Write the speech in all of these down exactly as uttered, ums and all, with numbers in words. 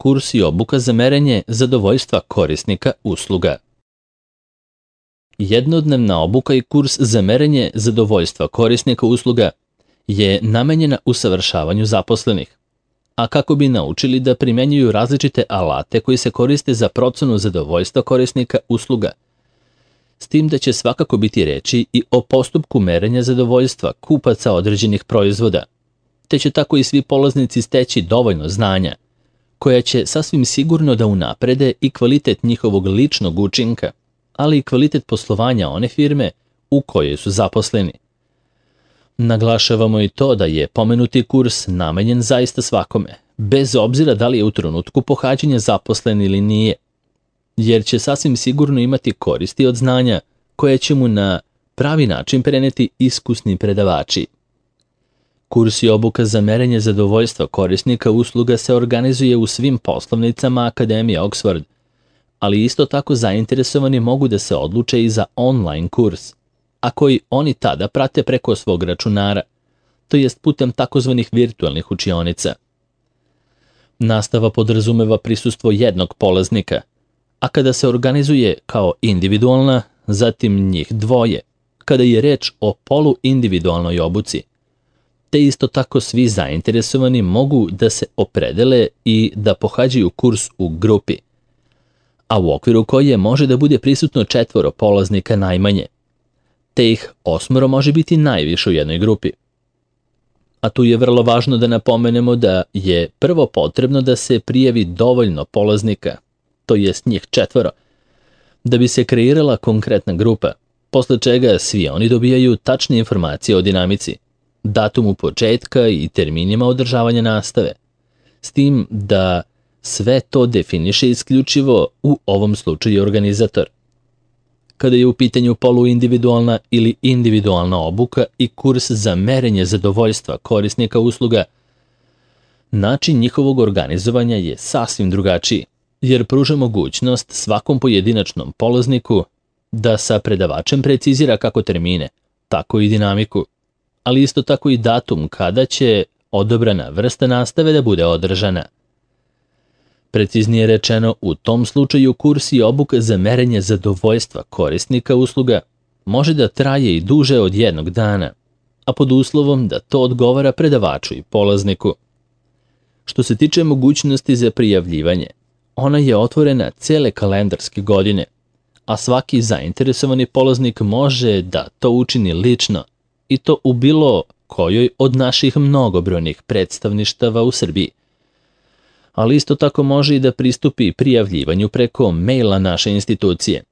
kurs i obuka za merenje zadovoljstva korisnika usluga. Jednodnevna obuka i kurs za merenje zadovoljstva korisnika usluga je namenjena usavršavanju zaposlenih, a kako bi naučili da primenjuju različite alate koji se koriste za procenu zadovoljstva korisnika usluga, s tim da će svakako biti reči i o postupku merenja zadovoljstva kupaca određenih proizvoda, te će tako i svi polaznici steći dovoljno znanja, koja će sasvim sigurno da unaprede i kvalitet njihovog ličnog učinka, ali i kvalitet poslovanja one firme u kojoj su zaposleni. Naglašavamo i to da je pomenuti kurs namenjen zaista svakome, bez obzira da li je u trenutku pohađanja zaposlen ili nije, jer će sasvim sigurno imati koristi od znanja koje će mu na pravi način preneti iskusni predavači. Kurs i obuka za merenje zadovoljstva korisnika usluga se organizuje u svim poslovnicama Akademije Oxford, ali isto tako zainteresovani mogu da se odluče i za online kurs, a koji oni tada prate preko svog računara, to jest putem takozvanih virtualnih učionica. Nastava podrazumeva prisustvo jednog polaznika, a kada se organizuje kao individualna, zatim njih dvoje, kada je reč o poluindividualnoj obuci, te isto tako svi zainteresovani mogu da se opredele i da pohađaju kurs u grupi, a u okviru koje može da bude prisutno četvoro polaznika najmanje, te ih osmoro može biti najviše u jednoj grupi. A tu je vrlo važno da napomenemo da je prvo potrebno da se prijavi dovoljno polaznika, to jest njih četvoro, da bi se kreirala konkretna grupa, posle čega svi oni dobijaju tačne informacije o dinamici, datumu početka i terminima održavanja nastave, s tim da sve to definiše isključivo u ovom slučaju organizator. Kada je u pitanju poluindividualna ili individualna obuka i kurs za merenje zadovoljstva korisnika usluga, način njihovog organizovanja je sasvim drugačiji, jer pruža mogućnost svakom pojedinačnom polazniku da sa predavačem precizira kako termine, tako i dinamiku, ali isto tako i datum kada će odobrana vrsta nastave da bude održana. Preciznije rečeno, u tom slučaju kurs i obuka za merenje zadovoljstva korisnika usluga može da traje i duže od jednog dana, a pod uslovom da to odgovara predavaču i polazniku. Što se tiče mogućnosti za prijavljivanje, ona je otvorena cele kalendarske godine, a svaki zainteresovani polaznik može da to učini lično i to u bilo kojoj od naših mnogobrojnih predstavništava u Srbiji. Ali isto tako može i da pristupi prijavljivanju preko maila naše institucije.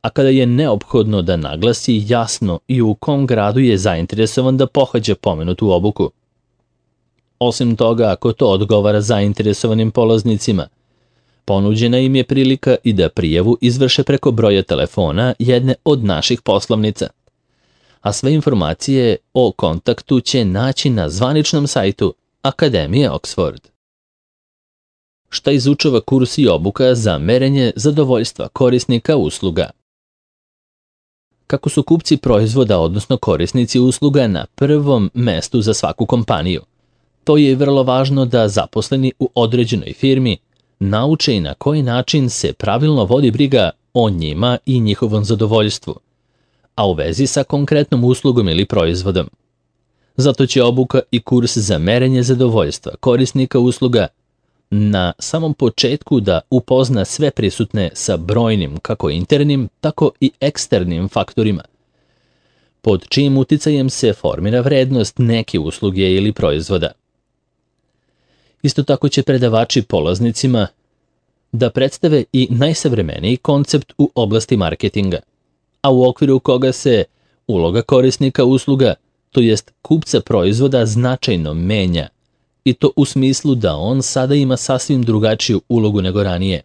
A kada je neophodno da naglasi jasno i u kom gradu je zainteresovan da pohađa pomenutu obuku. Osim toga, ako to odgovara zainteresovanim polaznicima, ponuđena im je prilika i da prijavu izvrše preko broja telefona jedne od naših poslovnica. A sve informacije o kontaktu će naći na zvaničnom sajtu Akademije Oxford. Šta izučava kurs i obuka za merenje zadovoljstva korisnika usluga? Kako su kupci proizvoda, odnosno korisnici usluga, na prvom mestu za svaku kompaniju, to je vrlo važno da zaposleni u određenoj firmi nauče i na koji način se pravilno vodi briga o njima i njihovom zadovoljstvu, a u vezi sa konkretnom uslugom ili proizvodom. Zato će obuka i kurs za merenje zadovoljstva korisnika usluga na samom početku da upozna sve prisutne sa brojnim kako internim, tako i eksternim faktorima, pod čijim uticajem se formira vrednost neke usluge ili proizvoda. Isto tako će predavači polaznicima da predstave i najsavremeniji koncept u oblasti marketinga, a u okviru koga se uloga korisnika usluga, to jest kupca proizvoda, značajno menja, i to u smislu da on sada ima sasvim drugačiju ulogu nego ranije.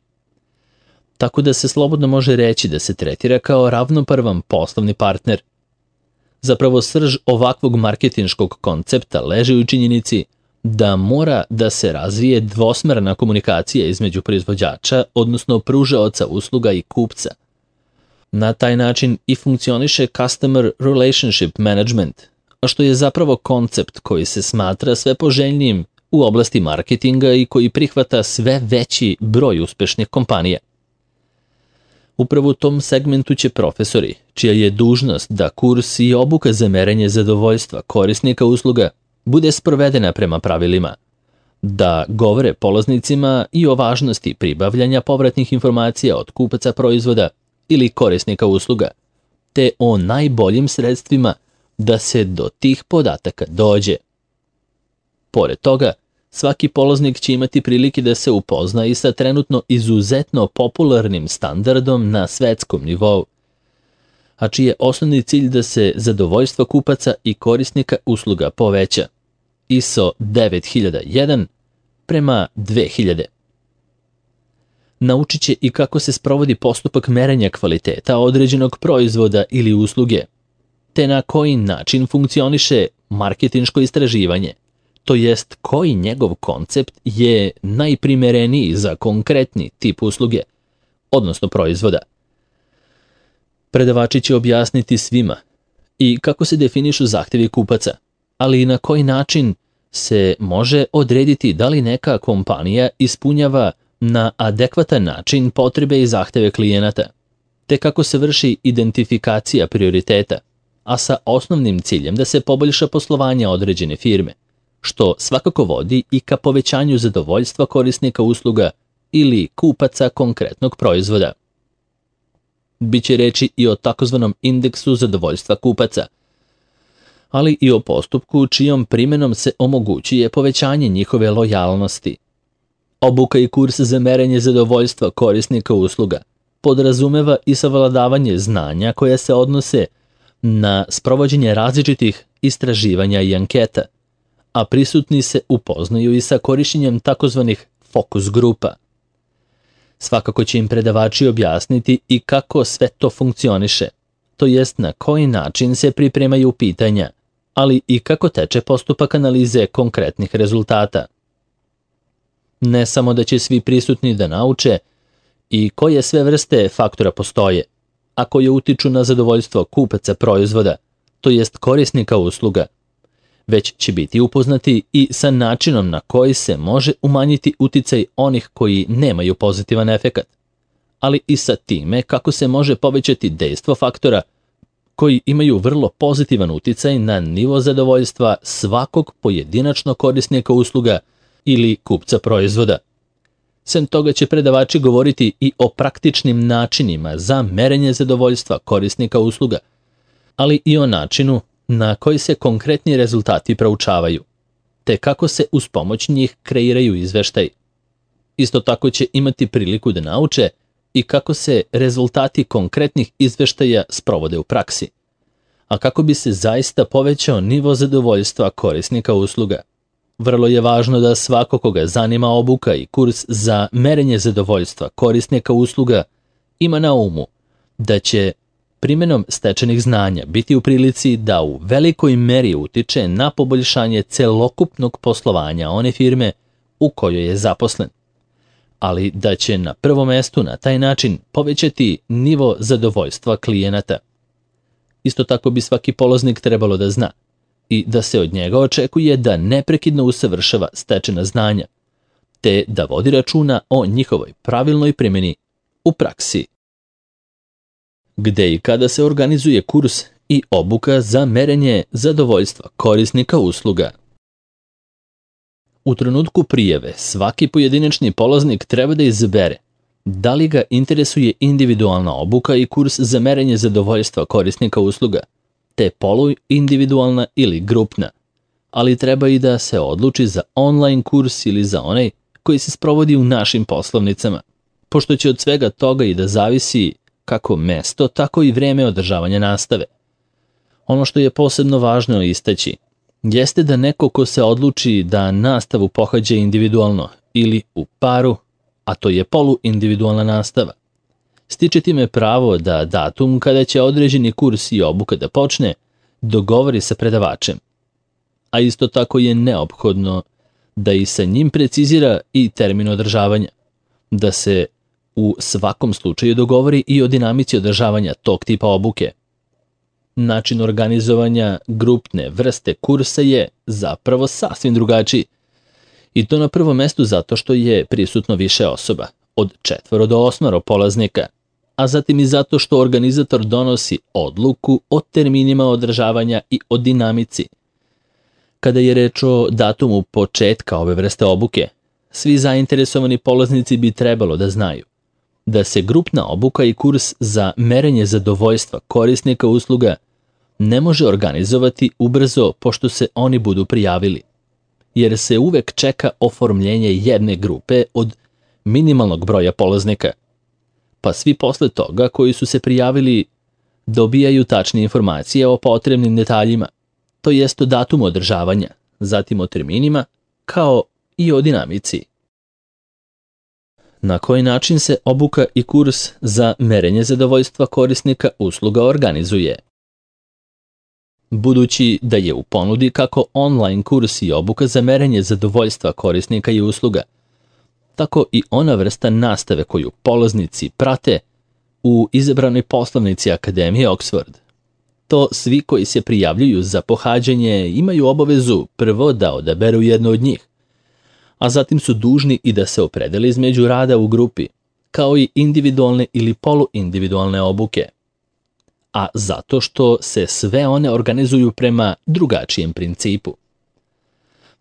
Tako da se slobodno može reći da se tretira kao ravnopravan poslovni partner. Zapravo srž ovakvog marketinškog koncepta leži u činjenici da mora da se razvije dvosmerna komunikacija između proizvođača, odnosno pružaoca usluga i kupca. Na taj način i funkcioniše Customer Relationship Management, a što je zapravo koncept koji se smatra sve poželjnijim u oblasti marketinga i koji prihvata sve veći broj uspešnih kompanija. Upravo u tom segmentu će profesori, čija je dužnost da kurs i obuka za merenje zadovoljstva korisnika usluga bude sprovedena prema pravilima, da govore polaznicima i o važnosti pribavljanja povratnih informacija od kupaca proizvoda ili korisnika usluga, te o najboljim sredstvima da se do tih podataka dođe. Pored toga, svaki polaznik će imati prilike da se upozna i sa trenutno izuzetno popularnim standardom na svetskom nivou, a čiji je osnovni cilj da se zadovoljstvo kupaca i korisnika usluga poveća, I S O devet hiljada jedan prema dve hiljade. Naučit će i kako se sprovodi postupak merenja kvaliteta određenog proizvoda ili usluge, te na koji način funkcioniše marketinško istraživanje, to jest koji njegov koncept je najprimereniji za konkretni tip usluge, odnosno proizvoda. Predavači će objasniti svima i kako se definišu zahtevi kupaca, ali i na koji način se može odrediti da li neka kompanija ispunjava na adekvatan način potrebe i zahteve klijenata, te kako se vrši identifikacija prioriteta, a sa osnovnim ciljem da se poboljša poslovanje određene firme, što svakako vodi i ka povećanju zadovoljstva korisnika usluga ili kupaca konkretnog proizvoda. Biće reči i o takozvanom indeksu zadovoljstva kupaca, ali i o postupku čijom primjenom se omogućuje povećanje njihove lojalnosti. Obuka i kurs za merenje zadovoljstva korisnika usluga podrazumeva i savladavanje znanja koja se odnose na sprovođenje različitih istraživanja i anketa, a prisutni se upoznaju i sa korišćenjem takozvanih fokus grupa. Svakako će im predavači objasniti i kako sve to funkcioniše, to jest na koji način se pripremaju pitanja, ali i kako teče postupak analize konkretnih rezultata. Ne samo da će svi prisutni da nauče i koje sve vrste faktora postoje, a koje utiču na zadovoljstvo kupaca proizvoda, to jest korisnika usluga, već će biti upoznati i sa načinom na koji se može umanjiti uticaj onih koji nemaju pozitivan efekat, ali i sa time kako se može povećati dejstvo faktora koji imaju vrlo pozitivan uticaj na nivo zadovoljstva svakog pojedinačnog korisnika usluga ili kupca proizvoda. Sem toga će predavači govoriti i o praktičnim načinima za merenje zadovoljstva korisnika usluga, ali i o načinu na koji se konkretni rezultati proučavaju, te kako se uz pomoć njih kreiraju izveštaj. Isto tako će imati priliku da nauče i kako se rezultati konkretnih izveštaja sprovode u praksi, a kako bi se zaista povećao nivo zadovoljstva korisnika usluga. Vrlo je važno da svako koga zanima obuka i kurs za merenje zadovoljstva korisnika usluga ima na umu da će primjenom stečenih znanja biti u prilici da u velikoj meri utiče na poboljšanje celokupnog poslovanja one firme u kojoj je zaposlen, ali da će na prvom mestu na taj način povećati nivo zadovoljstva klijenata. Isto tako bi svaki polaznik trebalo da zna i da se od njega očekuje da neprekidno usavršava stečena znanja, te da vodi računa o njihovoj pravilnoj primjeni u praksi. Gde i kada se organizuje kurs i obuka za merenje zadovoljstva korisnika usluga? U trenutku prijave svaki pojedinačni polaznik treba da izabere da li ga interesuje individualna obuka i kurs za merenje zadovoljstva korisnika usluga, te poluindividualna ili grupna, ali treba i da se odluči za online kurs ili za onaj koji se sprovodi u našim poslovnicama, pošto će od svega toga i da zavisi kako mesto, tako i vreme održavanja nastave. Ono što je posebno važno istaći jeste da neko ko se odluči da nastavu pohađa individualno ili u paru, a to je poluindividualna nastava, stiče time pravo da datum kada će određeni kurs i obuka da počne dogovori sa predavačem, a isto tako je neophodno da i sa njim precizira i termin održavanja, da se u svakom slučaju dogovori i o dinamici održavanja tog tipa obuke. Način organizovanja grupne vrste kursa je zapravo sasvim drugačiji I to na prvom mestu zato što je prisutno više osoba, od četvoro do osmoro polaznika, a zatim i zato što organizator donosi odluku o terminima održavanja i o dinamici. Kada je reč o datumu početka ove vrste obuke, svi zainteresovani polaznici bi trebalo da znaju da se grupna obuka i kurs za merenje zadovoljstva korisnika usluga ne može organizovati ubrzo pošto se oni budu prijavili, jer se uvek čeka oformljenje jedne grupe od minimalnog broja polaznika, pa svi posle toga koji su se prijavili dobijaju tačne informacije o potrebnim detaljima, to jest o datumu održavanja, zatim o terminima, kao i o dinamici. Na koji način se obuka i kurs za merenje zadovoljstva korisnika usluga organizuje? Budući da je u ponudi kako online kurs i obuka za merenje zadovoljstva korisnika i usluga, tako i ona vrsta nastave koju polaznici prate u izabranoj poslovnici Akademije Oxford. To svi koji se prijavljuju za pohađanje imaju obavezu prvo da odaberu jednu od njih, a zatim su dužni i da se opredele između rada u grupi, kao i individualne ili poluindividualne obuke, a zato što se sve one organizuju prema drugačijem principu.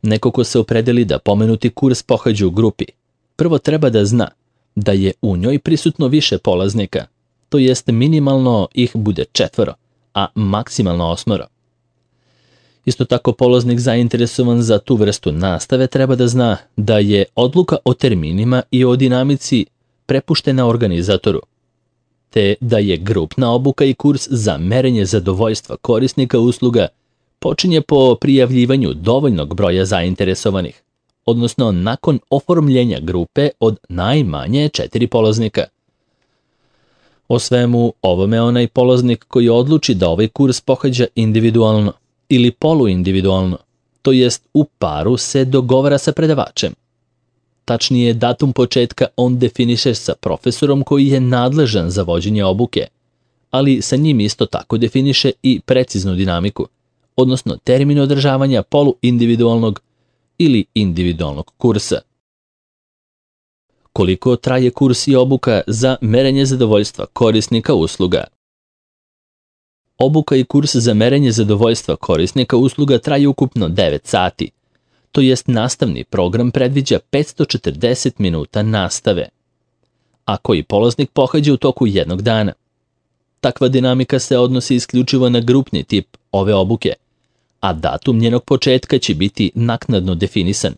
Neko ko se opredeli da pomenuti kurs pohađa u grupi, prvo treba da zna da je u njoj prisutno više polaznika, to jest minimalno ih bude četvoro, a maksimalno osmoro. Isto tako polaznik zainteresovan za tu vrstu nastave treba da zna da je odluka o terminima i o dinamici prepuštena organizatoru, te da je grupna obuka i kurs za merenje zadovoljstva korisnika usluga počinje po prijavljivanju dovoljnog broja zainteresovanih, odnosno nakon oformljenja grupe od najmanje četiri polaznika. O svemu ovome onaj polaznik koji odluči da ovaj kurs pohađa individualno ili poluindividualno, to jest u paru se dogovara sa predavačem. Tačnije, datum početka on definiše sa profesorom koji je nadležan za vođenje obuke, ali sa njim isto tako definiše i preciznu dinamiku, odnosno termin održavanja poluindividualnog ili individualnog kursa. Koliko traje kurs i obuka za merenje zadovoljstva korisnika usluga? Obuka i kurs za merenje zadovoljstva korisnika usluga traje ukupno devet sati, to jest nastavni program predviđa petsto četrdeset minuta nastave, a koji polaznik pohađa u toku jednog dana. Takva dinamika se odnosi isključivo na grupni tip ove obuke, a datum njenog početka će biti naknadno definisan,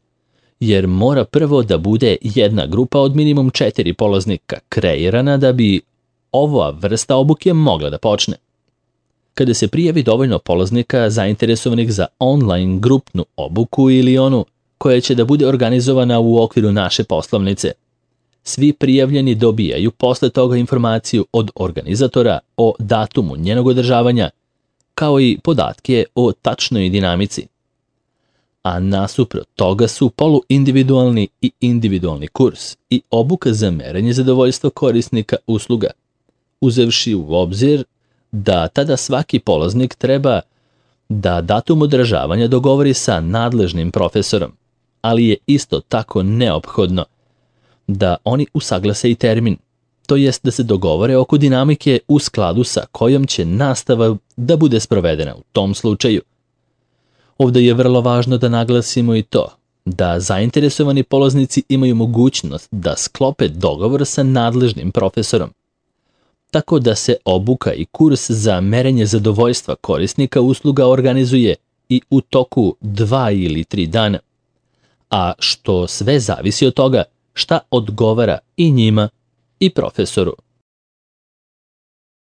jer mora prvo da bude jedna grupa od minimum četiri polaznika kreirana da bi ova vrsta obuke mogla da počne. Kada se prijavi dovoljno polaznika zainteresovanih za online grupnu obuku ili onu koja će da bude organizovana u okviru naše poslovnice, svi prijavljeni dobijaju posle toga informaciju od organizatora o datumu njenog održavanja, kao i podatke o tačnoj dinamici. A nasuprot toga su poluindividualni i individualni kurs i obuka za merenje zadovoljstva korisnika usluga, uzevši u obzir da tada svaki polaznik treba da datum održavanja dogovori sa nadležnim profesorom, ali je isto tako neophodno da oni usaglase i termin, to jest da se dogovore oko dinamike u skladu sa kojom će nastava da bude sprovedena u tom slučaju. Ovdje je vrlo važno da naglasimo i to da zainteresovani polaznici imaju mogućnost da sklope dogovor sa nadležnim profesorom, tako da se obuka i kurs za merenje zadovoljstva korisnika usluga organizuje i u toku dva ili tri dana, a što sve zavisi od toga šta odgovara i njima i profesoru.